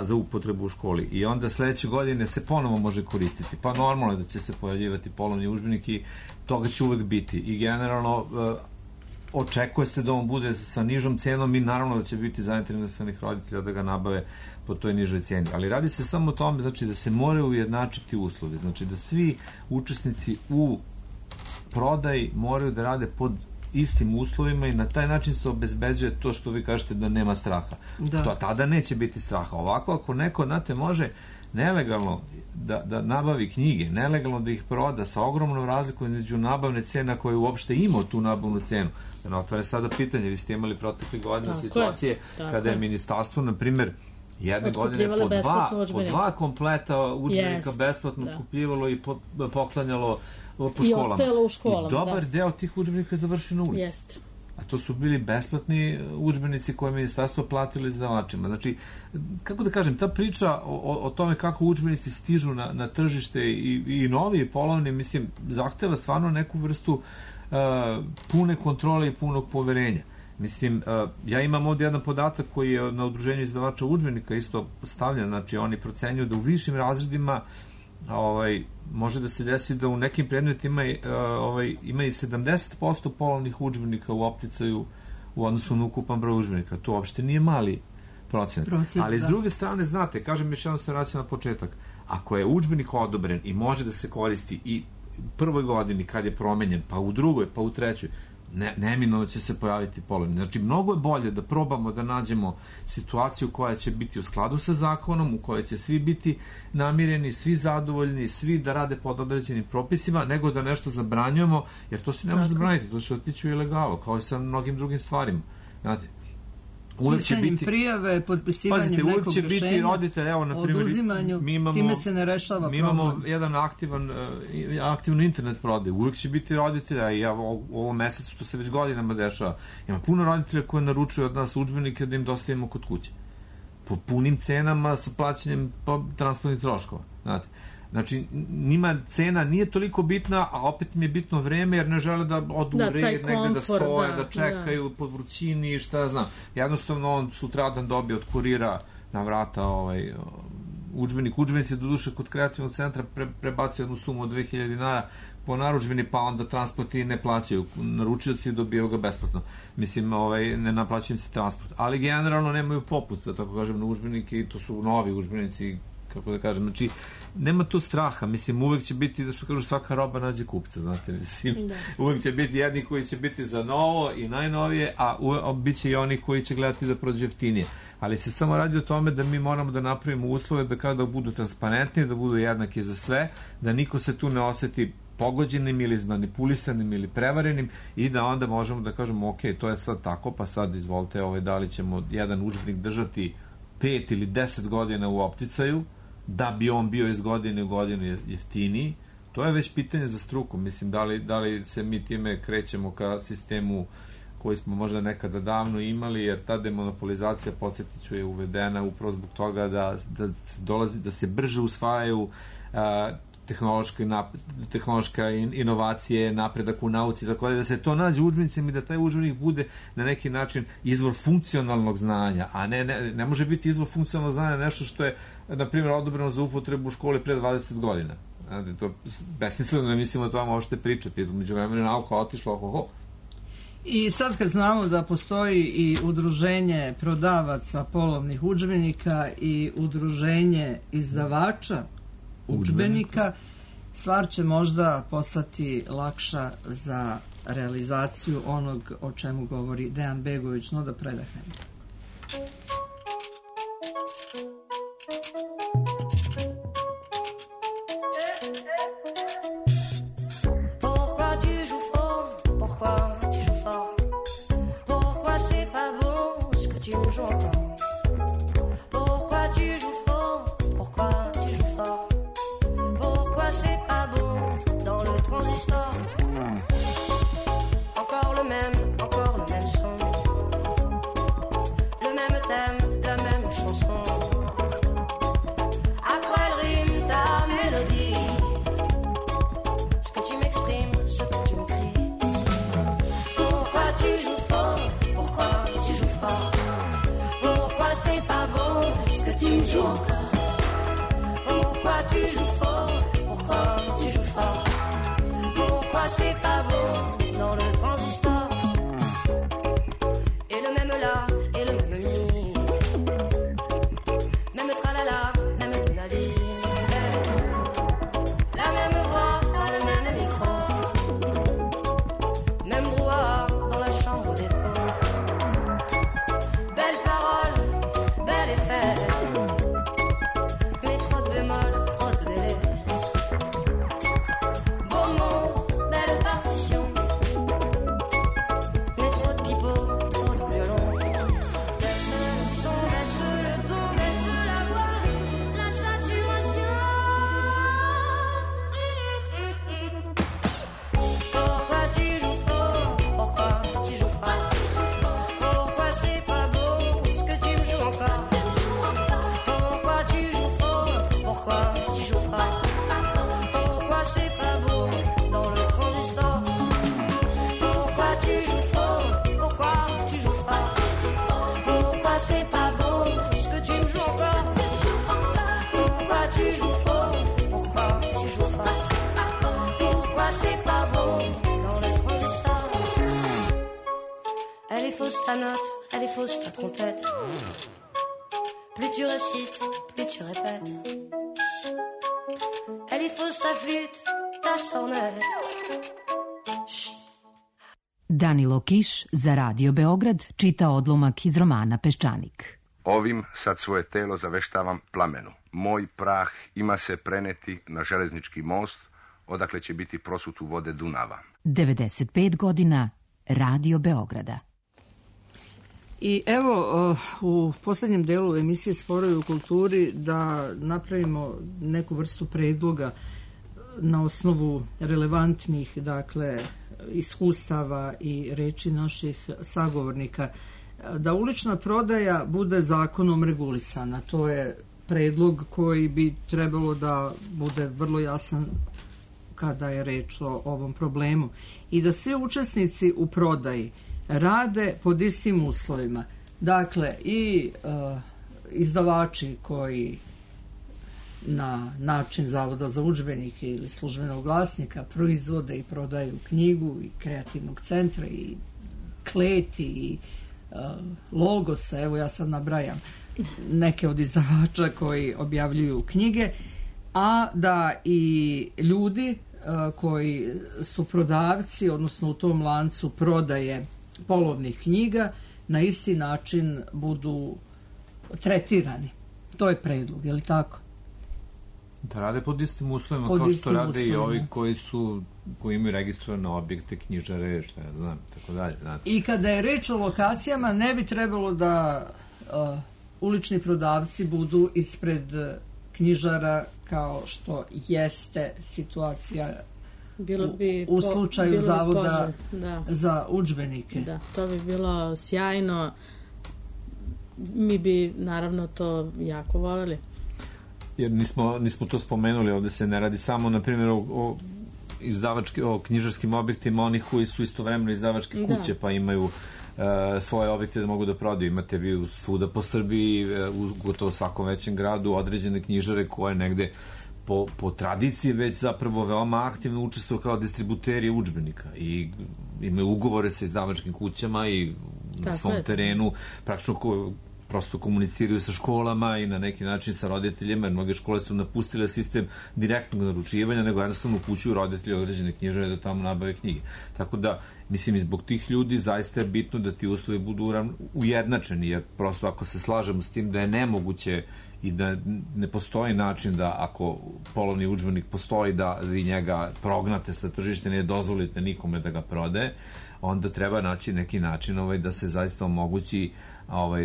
za upotrebu u školi i onda sledeće godine se ponovo može koristiti, pa normalno je da će se pojavljivati polovni udžbenik i toga će uvek biti i generalno očekuje se da on bude sa nižom cenom i naravno da će biti zainteresovanih roditelja da ga nabave po toj nižoj ceni. Ali radi se samo o tome, znači, da se moraju ujednačiti uslovi, znači da svi učesnici u prodaji moraju da rade pod istim uslovima i na taj način se obezbeđuje to što vi kažete da nema straha. Tada neće biti straha. Ovako, ako neko, znate, može nelegalno da nabavi knjige, nelegalno da ih proda sa ogromnom razlikom između nabavne cena koje uopšte ima tu nabavnu cenu. Otvara sada pitanje, vi ste imali protekle godine situacije kada je ministarstvo, na primjer, jedne godine po dva kompleta udžbenika besplatno kupljivalo i poklanjalo po školama. I ostajalo u školama. I dobar deo tih udžbenika je završio na ulici. Jeste. A to su bili besplatni udžbenici koje je ministarstvo platilo izdavačima. Znači, kako da kažem, ta priča o tome kako udžbenici stižu na tržište i novi i polovni, mislim, zahteva stvarno neku vrstu pune kontrole i punog poverenja. Mislim, ja imam ovdje jedan podatak koji je na udruženju izdavača udžbenika isto stavljen, znači oni procenjuju da u višim razredima može da se desi da u nekim predmetima ima i 70% polovnih udžbenika u opticaju u odnosu na ukupan broj udžbenika. To uopšte nije mali procent. Ali s druge strane, znate, kažem još jedan se vraća na početak, ako je udžbenik odobren i može da se koristi i u prvoj godini kad je promenjen, pa u drugoj, pa u trećoj, neminovno će se pojaviti polovni. Znači, mnogo je bolje da probamo da nađemo situaciju koja će biti u skladu sa zakonom, u kojoj će svi biti namireni, svi zadovoljni, svi da rade pod određenim propisima, nego da nešto zabranjujemo, jer to se ne može zabraniti, to će otići u ilegalu, kao i sa mnogim drugim stvarima. Znate, pisanjem prijave, potpisivanjem nekog rešenja, uvijek će biti roditelj, evo, na primjer, oduzimanju, time se ne rešava problem. Mi imamo jedan aktivnu internet prodaju, uvijek će biti roditelja i u ovom mesecu to se već godinama dešava. Ima puno roditelja koji naručuju od nas udžbenike da im dostavimo kod kuće. Po punim cenama sa plaćanjem transportnih troškova, znate. Znači, njima cena nije toliko bitna, a opet im je bitno vreme, jer ne žele da odu u red, negde da stoje, da čekaju pod vrućini, šta znam. Jednostavno, on sutradan dobije od kurira na vrata udžbenik. Udžbenici do duše kod kreativnog centra prebacio jednu sumu od 2000 dinara po narudžbini, pa onda transporti ne plaćaju. Naručioci dobijaju ga besplatno. Mislim, ne naplaćaju im se transport. Ali generalno nemaju popust, da tako kažem, na udžbenike, i to su novi udžbenici, kako da kažem, znači, nema tu straha, mislim, uvek će biti, da što kažu, svaka roba nađe kupca, znate, mislim, uvek će biti jedni koji će biti za novo i najnovije, a bit će i oni koji će gledati da prođe jeftinije. Ali se samo radi o tome da mi moramo da napravimo uslove da kada budu transparentni, da budu jednaki za sve, da niko se tu ne oseti pogođenim ili zmanipulisanim ili prevarenim i da onda možemo da kažemo, ok, to je sad tako, pa sad izvolite, da li ćemo jedan udžbenik držati 5 ili 10 godina u opticaju, da bi on bio iz godine u godinu jeftiniji. To je već pitanje za struku. Mislim, da li se mi time krećemo ka sistemu koji smo možda nekada davno imali, jer ta demonopolizacija, podsjetit ću, je uvedena upravo zbog toga da se brže usvajaju tehnološka inovacije, napredak u nauci, tako da se to nađe u udžbenicima i da taj udžbenik bude na neki način izvor funkcionalnog znanja, a ne može biti izvor funkcionalnog znanja nešto što je, na primjer, odobreno za upotrebu u školi pre 20 godina. To je besmisleno, ne mislimo o tome uopšte pričati. Među vremenu nauka otišla. I sad kad znamo da postoji i udruženje prodavaca polovnih udžbenika i udruženje izdavača udžbenika, stvar će možda postati lakša za realizaciju onog o čemu govori Dejan Begović. No da predahnemo. Ta note, elle est fausse, ta trompette. Plus tu récites, plus tu répètes. Elle est fausse, ta flûte, ta sornette. Danilo Kiš za Radio Beograd čita odlomak iz romana Peščanik. Ovim sad svoje telo zaveštavam plamenu. Moj prah ima se preneti na železnički most, odakle će biti prosut u vode Dunava. 95 godina Radio Beograda. I evo, u poslednjem delu emisije Sporovi u kulturi da napravimo neku vrstu predloga na osnovu relevantnih, dakle, iskustava i reči naših sagovornika, da ulična prodaja bude zakonom regulisana. To je predlog koji bi trebalo da bude vrlo jasan kada je reč o ovom problemu. I da svi učesnici u prodaji rade pod istim uslovima. Dakle, i izdavači koji na način Zavoda za udžbenike ili službenog glasnika proizvode i prodaju knjigu i kreativnog centra i Kleti i Logosa, evo ja sad nabrajam neke od izdavača koji objavljuju knjige, a da i ljudi koji su prodavci, odnosno u tom lancu prodaje polovnih knjiga, na isti način budu tretirani. To je predlog, je li tako? Da rade pod istim uslovima, kao što rade i ovi koji imaju registrovane objekte, knjižare, šta ja znam, tako dalje. I kada je reč o lokacijama, ne bi trebalo da ulični prodavci budu ispred knjižara kao što jeste situacija u slučaju Zavoda za udžbenike. Da, to bi bilo sjajno. Mi bi naravno to jako voljeli. Jer nismo to spomenuli, ovde se ne radi samo, na primjer, o knjižarskim objektima onih koji su istovremeno izdavačke kuće, pa imaju svoje objekte da mogu da prodaju. Imate vi svuda po Srbiji, u gotovo svakom većem gradu, određene knjižare koje negde po tradiciji već zapravo veoma aktivno učestvuju kao distributeri udžbenika i imaju ugovore sa izdavačkim kućama i na svom terenu praktično prosto komuniciraju sa školama i na neki način sa roditeljima, jer mnoge škole su napustile sistem direktnog naručivanja, nego jednostavno upućuju roditelji određene knjižare da tamo nabave knjige. Tako da, mislim, i zbog tih ljudi zaista je bitno da ti uslovi budu ujednačeni, jer prosto ako se slažemo s tim da je nemoguće i da ne postoji način da ako polovni udžbenik postoji da vi njega prognate sa tržišta, ne dozvolite nikome da ga prodaje, onda treba naći neki način da se zaista omogući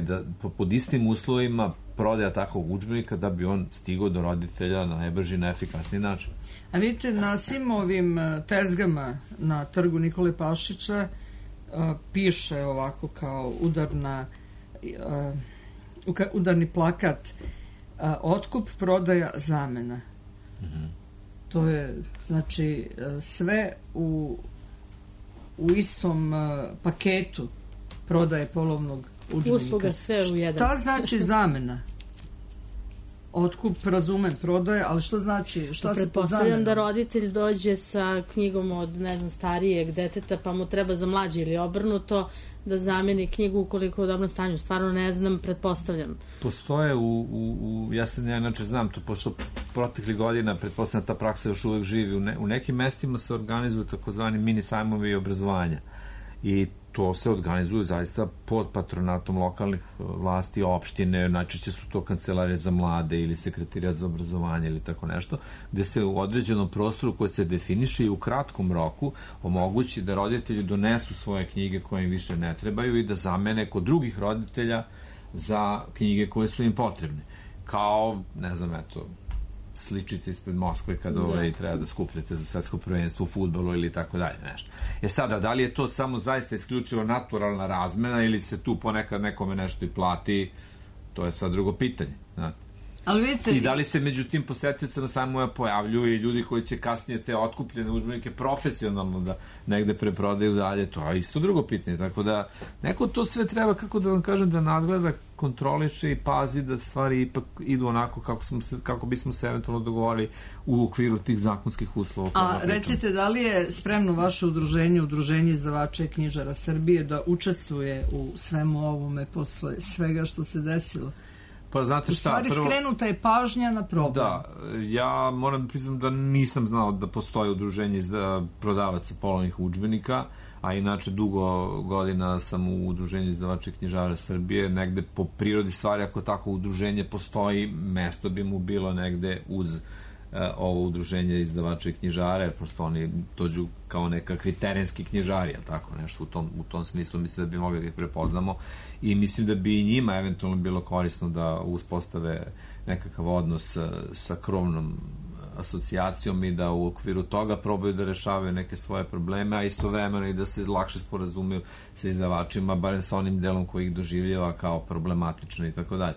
da pod istim uslovima prodaja takvog udžbenika da bi on stigao do roditelja na najbrži i najefikasniji način. A vidite, na svim ovim tezgama na trgu Nikole Pašića piše ovako kao udarni plakat: otkup, prodaja, zamena. To je, znači, sve u istom paketu prodaje polovnog udžbenika. Usluga sve u jedan. Šta znači zamena? Otkup, razumem, prodaje, ali što znači, šta se pod zamenom? Pretpostavljam da roditelj dođe sa knjigom od, ne znam, starijeg deteta, pa mu treba za mlađe ili obrnuto da zameni knjigu ukoliko je u dobrom stanju. Stvarno ne znam, pretpostavljam. Postoje ja inače znam to, pošto proteklih godina, pretpostavljam, ta praksa još uvek živi. U nekim mestima se organizuju takozvani mini sajmovi obrazovanja. I to se organizuju zaista pod patronatom lokalnih vlasti, opštine, najčešće su to kancelarije za mlade ili sekretarijat za obrazovanje ili tako nešto, gde se u određenom prostoru koji se definiše i u kratkom roku omogući da roditelji donesu svoje knjige koje im više ne trebaju i da zamene kod drugih roditelja za knjige koje su im potrebne. Kao, ne znam, sličice ispred Moskve kada treba da skupljate za svetsko prvenstvo u fudbalu ili tako dalje, nešto. Sada, da li je to samo zaista isključivo naturalna razmena ili se tu ponekad nekome nešto i plati, to je sad drugo pitanje. Ali vidite, i da li se među tim posetiocima samo pojavljuju i ljudi koji će kasnije te otkupljene udžbenike profesionalno da negde preprodaju dalje, to je isto drugo pitanje. Tako da neko to sve treba, kako da vam kažem, da nadgleda, kontroliše i pazi da stvari ipak idu onako kako bismo se eventualno dogovorili u okviru tih zakonskih uslova. A recite, da li je spremno vaše udruženje izdavača i knjižara Srbije da učestvuje u svemu ovome posle svega što se desilo? Pa znate šta, u stvari skrenuta je pažnja na problem. Da, ja moram da priznam da nisam znao da postoji udruženje prodavaca polovnih udžbenika, a inače dugo godina sam u udruženju izdavača i knjižara Srbije. Negde po prirodi stvari, ako tako udruženje postoji, mesto bi mu bilo negde uz ovo udruženje izdavača i knjižara, jer prosto oni dođu kao nekakvi terenski knjižari, tako nešto u tom smislu. Mislim da bi mogli da ih prepoznamo i mislim da bi i njima eventualno bilo korisno da uspostave nekakav odnos sa krovnom asocijacijom i da u okviru toga probaju da rešavaju neke svoje probleme, a istovremeno i da se lakše sporazumeju sa izdavačima, barem sa onim delom koji ih doživljava kao problematično i tako dalje.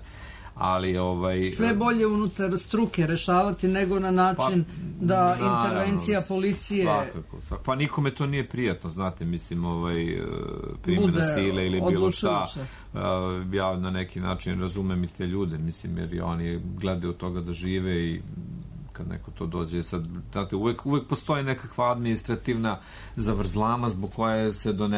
Ali sve bolje unutar struke rešavati nego na način da intervencija policije svakako. Pa nikome to nije prijatno, znate, mislim, primjena sile ili bilo šta. Ja na neki način razumem i te ljude, mislim, jer oni gledaju od toga da žive i kad neko to dođe, sad, znate, uvek postoji nekakva administrativna zavrzlama zbog koje se do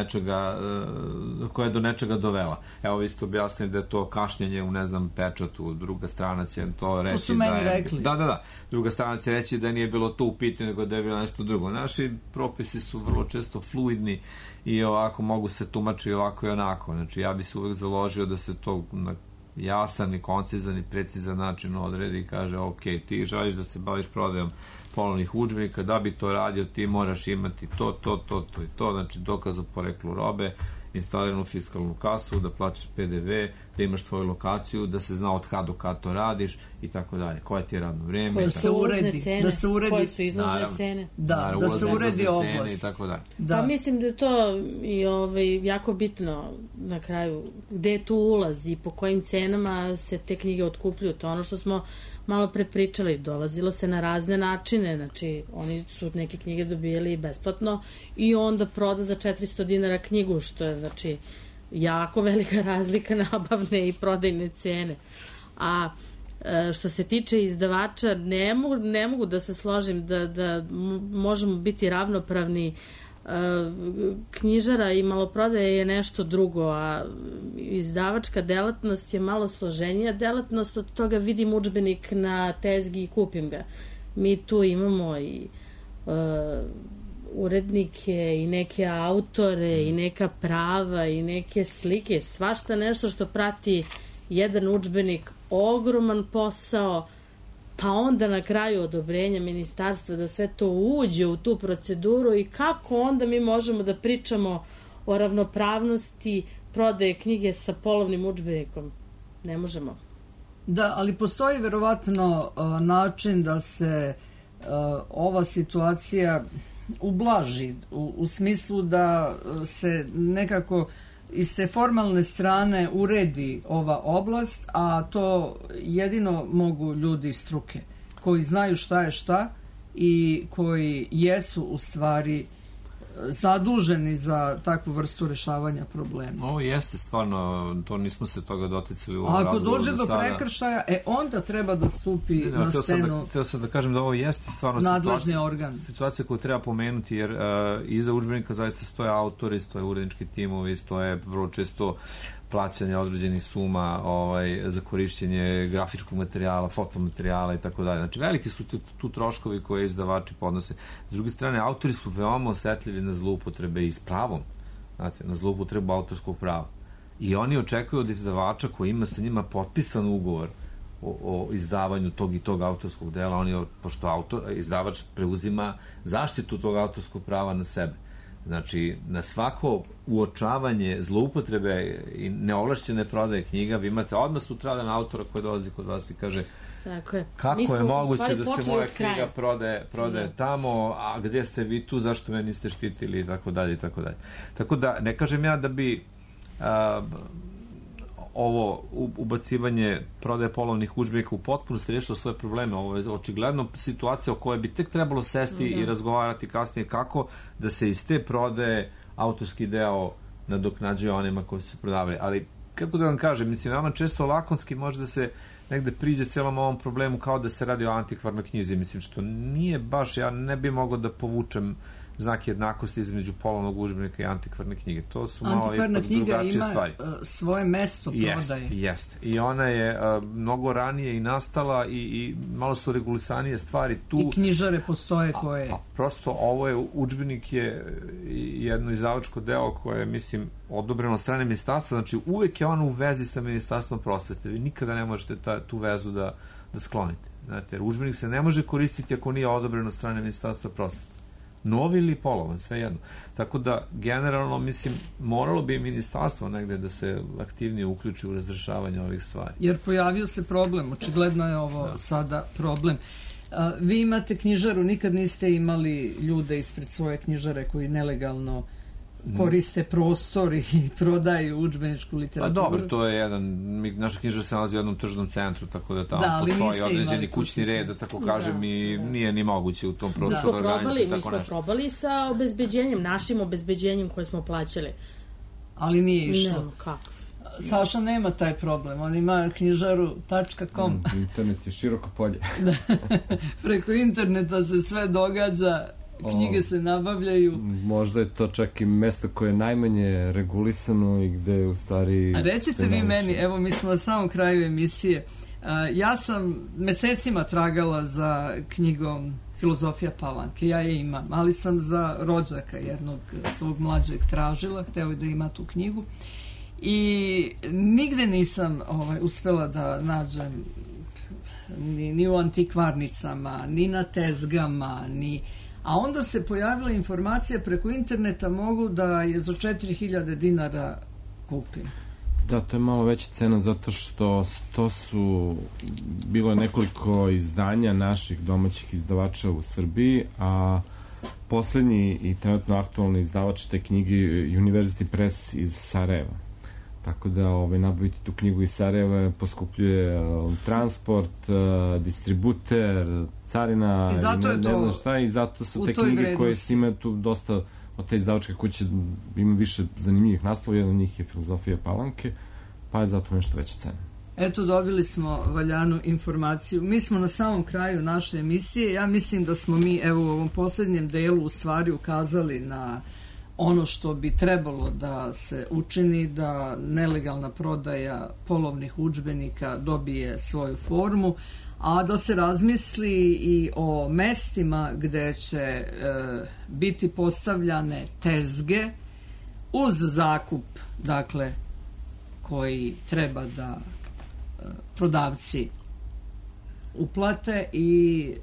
nečega dovela. Evo, vi ste objasnili da je to kašnjenje u, ne znam, pečatu, druga strana će to reći. To su meni rekli. Da. Druga strana će reći da nije bilo to u pitanju, nego da je bilo nešto drugo. Naši propisi su vrlo često fluidni i ovako mogu se tumačiti ovako i onako. Znači, ja bi se uvek založio da se to na jasan i koncizan i precizan način odredi i kaže, ok, ti želiš da se baviš prodajom polovnih udžbenika, da bi to radio ti moraš imati to i to, znači dokaz o poreklu robe, instaliranu fiskalnu kasu, da plaćaš PDV, da imaš svoju lokaciju, da se zna od kad do kad to radiš i tako dalje. Koje ti je radno vrijeme? Koje su uredi, da se uredi, koje su izlazne cene. Da se uredi oblast. I tako dalje. Pa mislim da je to i jako bitno na kraju, gde tu ulazi, po kojim cenama se te knjige otkupljuju. To ono što smo malo pre pričali, dolazilo se na razne načine, znači oni su neke knjige dobijali besplatno i onda proda za 400 dinara knjigu, što je znači jako velika razlika nabavne i prodajne cene. A što se tiče izdavača, ne mogu da se složim da možemo biti ravnopravni. Knjižara i maloprodaje je nešto drugo, a izdavačka delatnost je malo složenija delatnost. Od toga vidim udžbenik na tezgi i kupim ga. Mi tu imamo i urednike i neke autore i neka prava i neke slike, svašta nešto što prati jedan udžbenik, ogroman posao, pa onda na kraju odobrenja ministarstva da sve to uđe u tu proceduru i kako onda mi možemo da pričamo o ravnopravnosti prodaje knjige sa polovnim udžbenikom. Ne možemo. Da, ali postoji verovatno način da se ova situacija ublaži u smislu da se nekako iz te formalne strane uredi ova oblast, a to jedino mogu ljudi iz struke koji znaju šta je šta i koji jesu u stvari zaduženi za takvu vrstu rešavanja problema. Ovo jeste stvarno, to nismo se toga doticali u ovom razgovoru. Ako dođe do prekršaja, onda treba da stupi na scenu. Htio sam da kažem da ovo jeste stvarno situacija koju treba pomenuti, jer iza udžbenika zaista stoje autori, stoje urednički timovi, stoje vrlo često plaćanje određenih suma za korišćenje grafičkog materijala, fotomaterijala i tako dalje. Znači, veliki su tu troškovi koje izdavači podnose. S druge strane, autori su veoma osetljivi na zloupotrebe i s pravom, znate, na zloupotrebu autorskog prava. I oni očekuju od izdavača koji ima sa njima potpisan ugovor o izdavanju tog i tog autorskog dela, pošto izdavač preuzima zaštitu tog autorskog prava na sebe. Znači, na svako uočavanje zloupotrebe i neovlašćene prodaje knjiga, vi imate odmah sutradan autora koji dolazi kod vas i kaže kako je moguće da se moja knjiga prodaje tamo, a gdje ste vi tu, zašto me niste štitili i tako dalje i tako dalje. Tako da, ne kažem ja da bi ovo ubacivanje prodaje polovnih udžbenika u potpunosti rešilo svoje probleme. Ovo je očigledno situacija o kojoj bi tek trebalo sesti i razgovarati kasnije kako da se iz te prodaje autorski deo nadoknađuje onima koji su se prodavali. Ali, kako da vam kažem, mislim, veoma često lakonski može da se negde priđe celom ovom problemu kao da se radi o antikvarnoj knjizi. Mislim, što nije baš, ja ne bi mogao da povučem znak jednakosti između polovnog udžbenika i antikvarne knjige. To su malo ipak drugačije stvari. Antikvarna knjiga ima svoje mesto prodaje. Jeste. I ona je mnogo ranije i nastala i malo su regulisanije stvari tu. I knjižare postoje koje... Prosto ovo je, udžbenik je jedno izdavačko delo koje je, mislim, odobreno od strane ministarstva. Znači, uvek je ono u vezi sa ministarstvom prosvete. Vi nikada ne možete tu vezu da sklonite. Znate, jer udžbenik se ne može koristiti ako nije odobren od strane Ministarstva prosvete. Novi ili polovan, sve jedno. Tako da, generalno, mislim, moralo bi ministarstvo negde da se aktivnije uključi u razrešavanje ovih stvari. Jer pojavio se problem, očigledno je ovo sada problem. Vi imate knjižaru, nikad niste imali ljude ispred svoje knjižare koji nelegalno koriste prostor i prodaju udžbeničku literaturu. Pa dobro, to je jedan, naša knjižara se nalazi u jednom tržnom centru, tako da tamo postoji određeni kućni red, da tako kažem, i nije ni moguće u tom prostoru organizati. Mi smo probali sa obezbeđenjem, našim obezbeđenjem koje smo plaćali. Ali nije išlo. Ne, kako? Saša nema taj problem, on ima knjižaru.com. Internet je široko polje. Preko interneta se sve događa, knjige se nabavljaju. Možda je to čak i mesto koje je najmanje regulisano i gde u stvari... A recite vi meni, evo mi smo na samom kraju emisije, ja sam mesecima tragala za knjigom Filozofija Palanke, ja je imam, ali sam za rođaka jednog svog mlađeg tražila, hteo je da ima tu knjigu i nigde nisam uspela da nađem ni u antikvarnicama, ni na tezgama, a onda se pojavila informacija preko interneta mogu da je za 4000 dinara kupim. Da, to je malo veća cena zato što to su bilo nekoliko izdanja naših domaćih izdavača u Srbiji, a poslednji i trenutno aktualni izdavač te knjige University Press iz Sarajeva. Tako da nabaviti tu knjigu iz Sarajeva poskupljuje transport, distributer, carina, ne znam šta, i zato su te knjige koje snimaju tu dosta od te izdavačke kuće, ima više zanimljivih naslova, jedan od njih je Filozofija Palanke, pa je zato nešto veća cena. Eto, dobili smo valjanu informaciju. Mi smo na samom kraju naše emisije. Ja mislim da smo mi, evo, u ovom poslednjem delu u stvari ukazali na ono što bi trebalo da se učini, da nelegalna prodaja polovnih udžbenika dobije svoju formu, a da se razmisli i o mestima gde će biti postavljane tezge uz zakup, dakle, koji treba da prodavci uplate i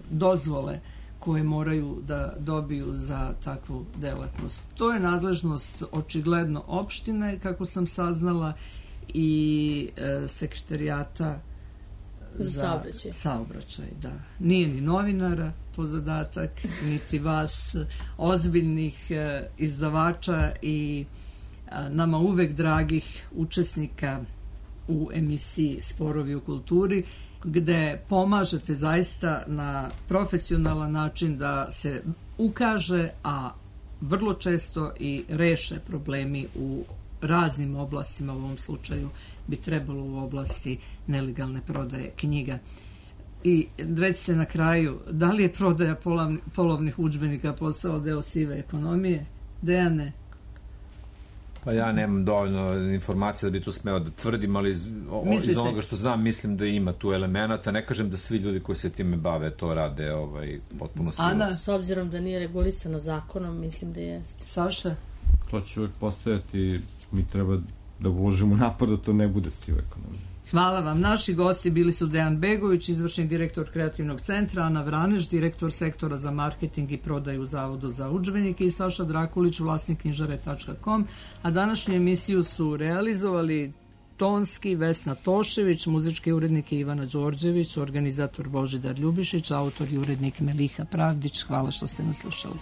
dozvole koje moraju da dobiju za takvu delatnost. To je nadležnost očigledno opštine, kako sam saznala, i sekretarijata za saobraćaj. Da. Nije ni novinara to zadatak, niti vas, ozbiljnih izdavača i nama uvek dragih učesnika u emisiji Sporovi u kulturi, gde pomažete zaista na profesionalan način da se ukaže, a vrlo često i reše problemi u raznim oblastima. U ovom slučaju bi trebalo u oblasti nelegalne prodaje knjiga. I recite na kraju, da li je prodaja polovnih udžbenika postala deo sive ekonomije? Dejane? Pa ja nemam dovoljno informacija da bi tu smeo da tvrdim, ali iz onoga što znam mislim da ima tu elemenata. Ne kažem da svi ljudi koji se time bave to rade potpuno sigurno. Ana, s obzirom da nije regulisano zakonom, mislim da jeste. Saša? To će uvijek postojati, mi treba da uložimo napor da to ne bude siva ekonomija. Hvala vam. Naši gosti bili su Dejan Begović, izvršni direktor Kreativnog centra, Ana Vraneš, direktor sektora za marketing i prodaju u Zavodu za udžbenike, i Saša Drakulić, vlasnik knjižare.com, a današnju emisiju su realizovali tonski Vesna Tošević, muzički urednik Ivana Đorđević, organizator Božidar Ljubišić, autor i urednik Meliha Pravdić. Hvala što ste nas slušali.